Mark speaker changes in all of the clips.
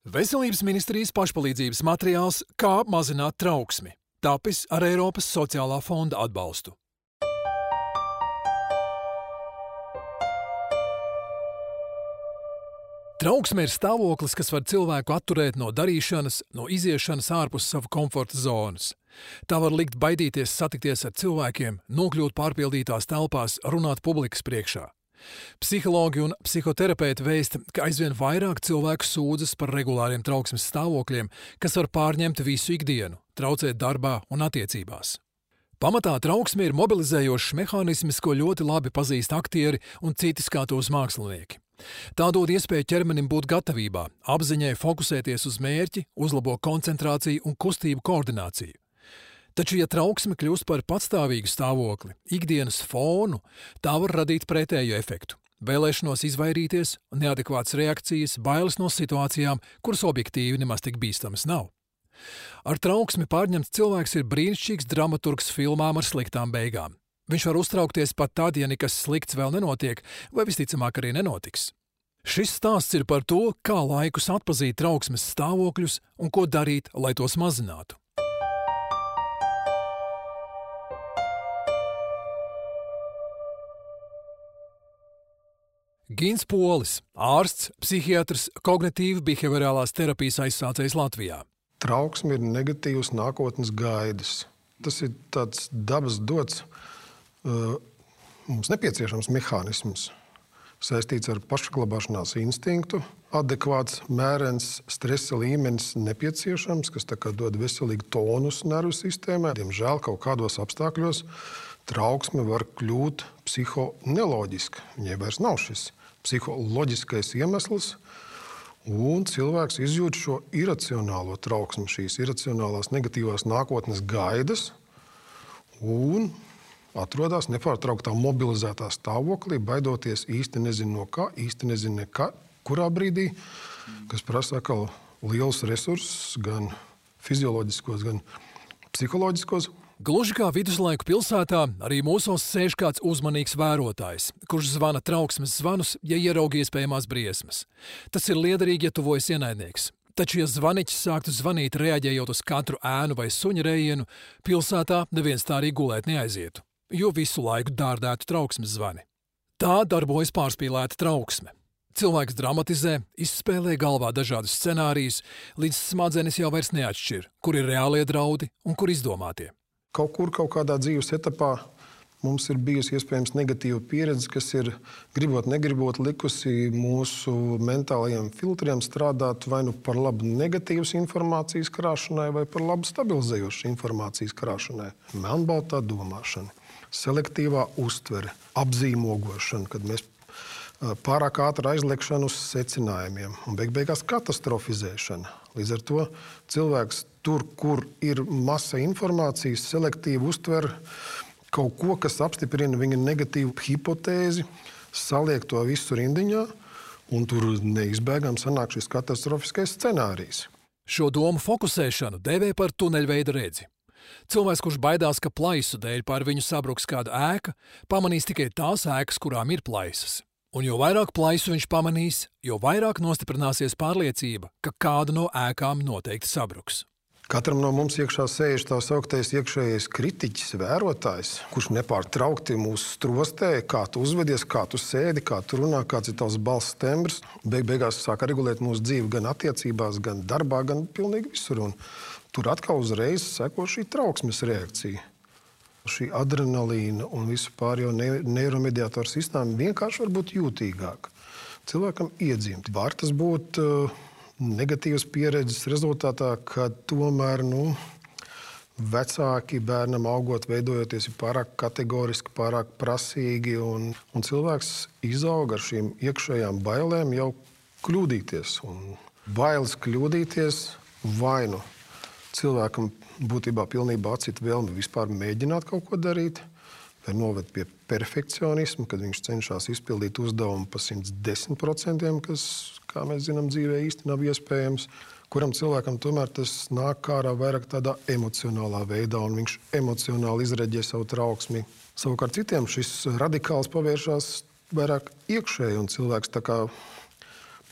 Speaker 1: Veselības ministrijas pašpalīdzības materiāls Kā mazināt trauksmi, tapis ar Eiropas sociālā fonda atbalstu. Trauksme ir stāvoklis, kas var cilvēku atturēt no darīšanas, no iziešanas ārpus sava komforta zonas. Tā var likt baidīties satikties ar cilvēkiem, nokļūt pārpildītās telpās, runāt publikas priekšā. Psihologi un psihoterapeiti vēsta, ka aizvien vairāk cilvēku sūdzas par regulāriem trauksmes stāvokļiem, kas var pārņemt visu ikdienu, traucēt darbā un attiecībās. Pamatā trauksme ir mobilizējošs mehānisms, ko ļoti labi pazīst aktieri un citi skatuves mākslinieki. Tā dod iespēju ķermenim būt gatavībā, apziņai fokusēties uz mērķi, uzlabo koncentrāciju un kustību koordināciju. Taču, ja trauksme kļūst par patstāvīgu stāvokli, ikdienas fonu, tā var radīt pretēju efektu. Vēlēšanos izvairīties, neadekvātas reakcijas, bailes no situācijām, kuras objektīvi nemaz tik bīstamas nav. Ar trauksmi pārņemts cilvēks ir brīnišķīgs dramaturgs filmām ar sliktām beigām. Viņš var uztraukties pat tad, ja nekas slikts vēl nenotiek, vai visticamāk arī nenotiks. Šis stāsts ir par to, kā laikus atpazīt trauksmes stāvokļus un ko darīt, lai tos mazinātu. Gins Polis, ārsts, psihiatrs, kognitīvi-behaviorālās terapijas aizsācējs Latvijā.
Speaker 2: Trauksme ir negatīvas nākotnes gaidas. Tas ir tāds dabas dots, mums nepieciešams mehānisms, saistīts ar pašsaglabāšanās instinktu. Adekvāts, mērens stresa līmenis nepieciešams, kas tā kā dod veselīgu tonus nervu sistēmai. Diemžēl kaut kādos apstākļos trauksme var kļūt psihoneloģiska. Viņai vairs nav šis psiholoģiskais iemesls, un cilvēks izjūt šo iracionālo trauksmi, šīs iracionālās negatīvās nākotnes gaidas, un atrodas nepārtrauktā mobilizētā stāvoklī, baidoties īsti nezinu no kā, īsti nezinu nekā, kurā brīdī, kas prasa atkal liels resursus, gan fizioloģiskos, gan psiholoģiskos.
Speaker 1: Gluži kā viduslaiku pilsētā, arī mūsos sēž kāds uzmanīgs vērotājs, kurš zvana trauksmes zvanus, ja ieraug iespējamās briesmas. Tas ir liederīgi, ja tuvojas ienaidnieks. Taču, ja zvaniķis sāktu zvanīt, reaģējot uz katru ēnu vai suņa rejienu, pilsētā neviens tā arī gulēt neaizietu, jo visu laiku dārdētu trauksmes zvani. Tā darbojas pārspīlēta trauksme. Cilvēks dramatizē, izspēlē galvā dažādus scenārijus, līdz smadzenes jau vairs neatšķir, kur ir reālie draudi un kur izdomātie.
Speaker 2: Kaut kādā dzīves etapā mums ir bijusi iespējams negatīva pieredze, kas ir, gribot, negribot, likusi mūsu mentālajiem filtriem strādāt vai nu par labu negatīvas informācijas krāšanai, vai par labu stabilizējošas informācijas krāšanai. Melnbaltā domāšana, selektīvā uztvere, apzīmogošana, kad mēs pārāk ātri aizliekšana uz secinājumiem un beigās katastrofizēšana. Līdz ar to cilvēks tur, kur ir masa informācijas, selektīvi uztver kaut ko, kas apstiprina viņa negatīvu hipotēzi, saliek to visu rindiņā, un tur neizbēgam sanāk šis katastrofiskais scenārijs.
Speaker 1: Šo domu fokusēšanu dēvē par tuneļveida redzi. Cilvēks, kurš baidās, ka plaisu dēļ pār viņu sabruks kāda ēka, pamanīs tikai tās ēkas, kurām ir plaisas. Un jo vairāk plaisu viņš pamanīs, jo vairāk nostiprināsies pārliecība, ka kāda no ēkām noteikti sabruks.
Speaker 2: Katram no mums iekšā sēž tā sauktais iekšējais kritiķis, vērotājs, kurš nepārtraukti mūs strostē, kā tu uzvedies, kā tu sēdi, kā tu runā, kāds ir tavs balss tembrs. Beigās sāk regulēt mūsu dzīvi gan attiecībās, gan darbā, gan pilnīgi visur. Un tur atkal uzreiz seko šī trauksmes reakcija. Šī adrenalīna un vispār jau neiromediātoru sistēma vienkārši var būt jūtīgāka. Cilvēkam iedzimt. Var tas būt negatīvas pieredzes rezultātā, kad tomēr vecāki bērnam augot, veidojoties ir pārāk kategoriski, pārāk prasīgi, un cilvēks izaug ar šīm iekšējām bailēm jau kļūdīties. Un bailes kļūdīties vai nu cilvēkam būtībā pilnībā atcita vēlme vispār mēģināt kaut ko darīt, vai noved pie perfekcionismu, kad viņš cenšas izpildīt uzdevumu pa 110%, kas, kā mēs zinām, dzīvē īsti nav iespējams. Kuram cilvēkam tomēr tas nāk ārā vairāk tādā emocionālā veidā, un viņš emocionāli izreģē savu trauksmi. Savukārt citiem šis radikāls pavēršās vairāk iekšēji, un cilvēks tā kā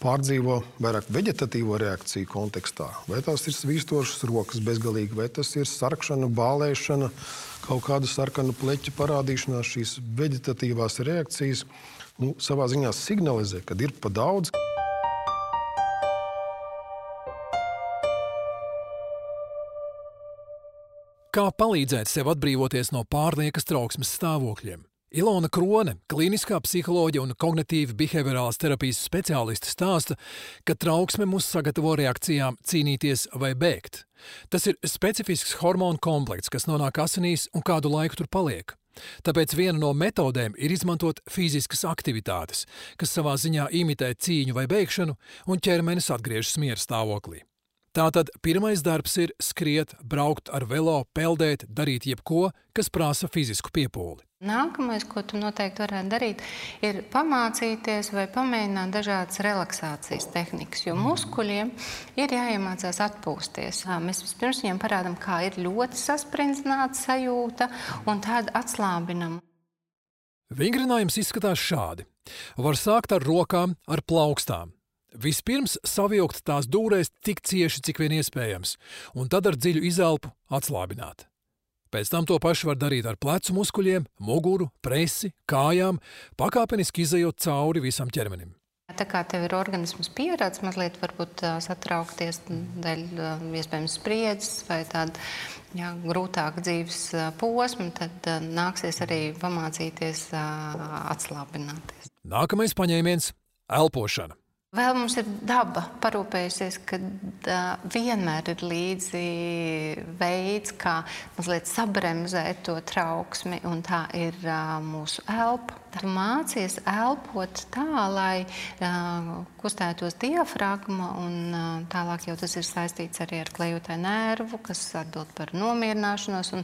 Speaker 2: pārdzīvo vairāk veģetatīvo reakciju kontekstā. Vai tās ir svīstošas rokas bezgalīgi, vai tas ir sarkšana, bālēšana, kaut kāda sarkana pleķa parādīšanās, šīs veģetatīvās reakcijas savā ziņā signalizē, kad ir pa daudz.
Speaker 1: Kā palīdzēt sev atbrīvoties no pārliekas trauksmes stāvokļiem? Ilona Krone, klīniskā psiholoģija un kognitīva behaviorālās terapijas speciāliste stāsta, ka trauksme mūs sagatavo reakcijām cīnīties vai bēgt. Tas ir specifisks hormonu komplekts, kas nonāk asinīs un kādu laiku tur paliek. Tāpēc viena no metodēm ir izmantot fiziskas aktivitātes, kas savā ziņā imitē cīņu vai bēgšanu, un ķermenis atgriežas miera stāvoklī. Tātad pirmais darbs ir skriet, braukt ar velo, peldēt, darīt jebko, kas prasa fizisku piepūli.
Speaker 3: Nākamais, ko tu noteikti varētu darīt, ir pamācīties vai pamēģināt dažādas relaksācijas tehnikas, jo muskuļiem ir jāiemācās atpūsties. Mēs vispirms viņiem parādām, kā ir ļoti sasprindzināta sajūta, un tad atslābinam.
Speaker 1: Vingrinājums izskatās šādi. Var sākt ar rokām, ar plaukstām. Vispirms savilkt tās dūrēs tik cieši, cik vien iespējams, un tad ar dziļu izelpu atslābināt. Pēc tam to pašu var darīt ar plecu muskuļiem, muguru, presi, kājām, pakāpeniski izejot cauri visam ķermenim.
Speaker 3: Tā kā tev ir organisms pierādis, mazliet varbūt satraukties dēļ iespējams spriedzes vai tāda grūtāka dzīves posma, tad nāksies arī pamācīties atslābināties.
Speaker 1: Nākamais paņēmiens – elpošana.
Speaker 3: Vēl mums ir daba parūpējusies, ka vienmēr ir līdzi veids, kā mazliet sabremzēt to trauksmi, un tā ir mūsu elpa. Tu mācies elpot tā, lai kustētos diafragma, un tālāk jau tas ir saistīts arī ar klejotāju nervu, kas atbild par nomierināšanos, un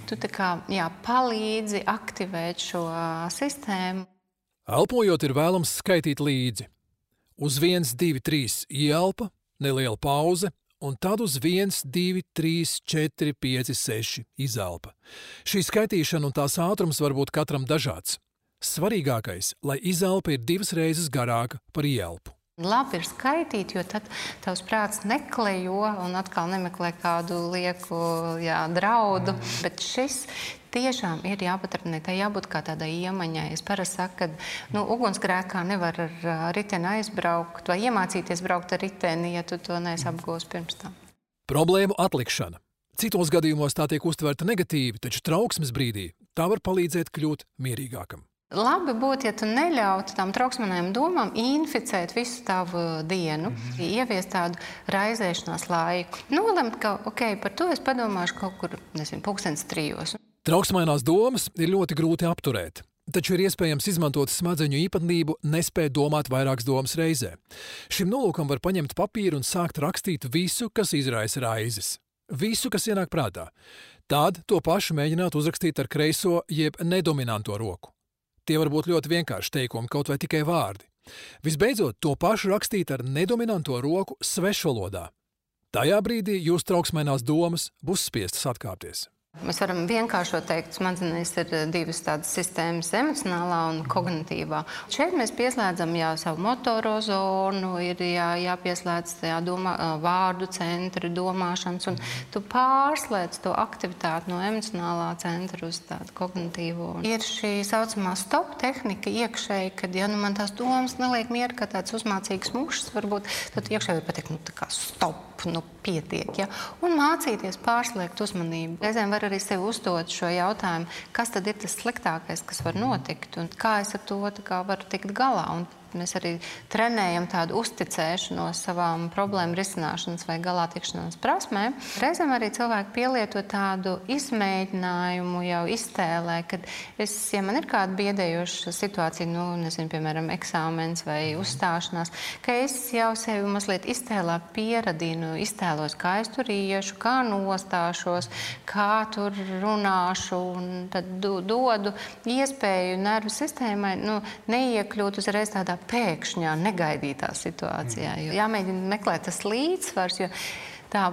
Speaker 3: tu tā kā palīdzi aktivēt šo sistēmu.
Speaker 1: Elpojot ir vēlams skaitīt līdzi. Uz 1, 2, 3 ieelpa, neliela pauze, un tad uz 1, 2, 3, 4, 5, 6 izelpa. Šī skaitīšana un tās ātrums var būt katram dažāds. Svarīgākais, lai izelpa ir 2 reizes garāka par ieelpu.
Speaker 3: Labi ir skaitīt, jo tad tavs prāts neklejo un atkal nemeklē kādu lieku draudu, bet šis tiešām ir jāpaturpināt, tā jābūt kā tādai iemaņai. Es parasti saku, ka ugunsgrēkā nevar ar riteni aizbraukt vai iemācīties braukt ar riteni, ja tu to neesi apgūs pirms tam.
Speaker 1: Problēmu atlikšana. Citos gadījumos tā tiek uztverta negatīvi, taču trauksmes brīdī tā var palīdzēt kļūt mierīgākam.
Speaker 3: Labi būtu, ja tu neļautu tām trauksmanējām domām inficēt visu tavu dienu, ieviest tādu raizēšanās laiku. Nolemt, ka, par to es padomāšu kaut kur, 2:00.
Speaker 1: Trauksmainās domas ir ļoti grūti apturēt, taču ir iespējams izmantot smadzeņu īpatnību nespēt domāt vairākas domas reizē. Šim nolūkam var paņemt papīru un sākt rakstīt visu, kas izraisa raizes. Visu, kas ienāk prātā. Tad to pašu mēģināt uzrakstīt ar kreiso jeb nedominanto roku. Tie var būt ļoti vienkārši teikumi, kaut vai tikai vārdi. Visbeidzot, to pašu rakstīt ar nedominanto roku svešvalodā. Tajā brīdī jūs trauksmainās domas būs spiestas atkāpties.
Speaker 3: Mēs varam vienkāršot teikt, smadzenēs ir 2 tādas sistēmas, emocionālā un kognitīvā. Šeit mēs pieslēdzam savu motoro zonu, ir jāpieslēdz vārdu centri, domāšanas, un tu pārslēdz to aktivitāti no emocionālā centra uz tādu kognitīvo. Ir šī saucamā stop tehnika iekšēji, kad man tās domas neliek mieru, kā tāds uzmācīgs mušs, varbūt, tad iekšēji var pateikt, tā kā stop, pietiek, un mācīties pārslēgt uzmanību. Reizēm var arī sev uzdot šo jautājumu, kas tad ir tas sliktākais, kas var notikt, un kā es ar to varu tikt galā. Un mēs arī trenējam tādu uzticēšanos savām problēmu risināšanas vai galā tikšanās prasmēm. Reizēm arī cilvēki pielieto tādu izmēģinājumu jau iztēlē, kad ja man ir kāda biedējoša situācija, piemēram, eksāmens vai uzstāšanās, ka es jau sevi mazliet iztēlā pieradinu, iztēlos, kā es tur iešu, kā nostāšos, kā tur runāšu, un tad dodu iespēju nervu sistēmai neiekļūt uzreiz tādā pēkšņā, negaidītā situācijā. Jāmēģina meklēt tas līdzsvars, jo Tā,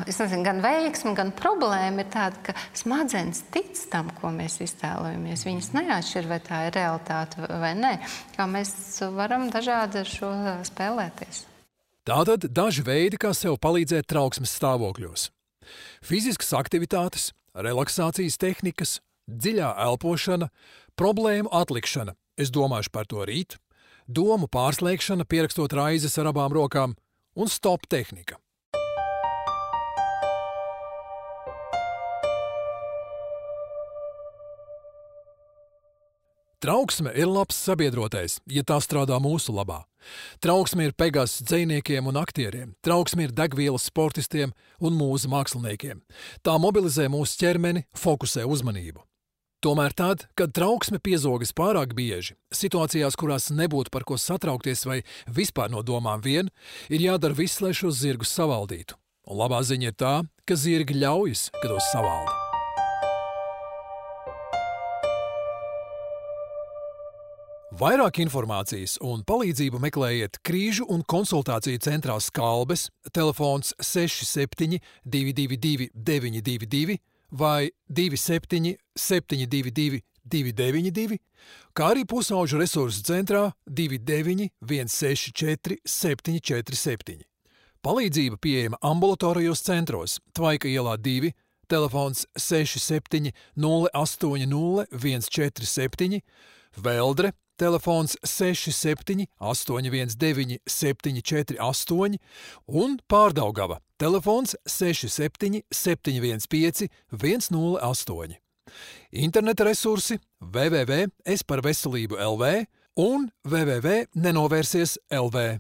Speaker 3: es nezinu, gan veiksme, gan problēma ir tāda, ka smadzenes tic tam, ko mēs iztēlojamies. Viņas neatšķir, vai tā ir realitāte vai nē. Kā mēs varam dažādi ar šo spēlēties.
Speaker 1: Tātad daži veidi, kā sev palīdzēt trauksmes stāvokļos. Fiziskas aktivitātes, relaksācijas tehnikas, dziļā elpošana, problēmu atlikšana. Es domāšu par to rīt. Domu pārslēgšana, pierakstot raizes ar abām rokām un stop tehnika. Trauksme ir labs sabiedrotais, ja tā strādā mūsu labā. Trauksme ir pegas dzejniekiem un aktieriem, trauksme ir degvielas sportistiem un mūsu māksliniekiem. Tā mobilizē mūsu ķermeni, fokusē uzmanību. Tomēr tad, kad trauksme piezogas pārāk bieži, situācijās, kurās nebūtu par ko satraukties vai vispār no domām vien, ir jādara viss, lai šos zirgus savaldītu. Un labā ziņa ir tā, ka zirgi ļaujas, kad tos savalda. Vairāk informācijas un palīdzību meklējiet Krīžu un konsultāciju centrā Skalbes, telefons 67 222 922 vai 27 722 292, kā arī pusauģu resursu centrā 29 164 747. Palīdzība pieejama ambulatorijos centros Tvaika ielā 2, telefons 67 080 147, Veldre, telefons 67 819 748 un Pārdaugava, telefons 67 715 108. Interneta resursi www.esparveselību.lv un www.nenovērsies.lv.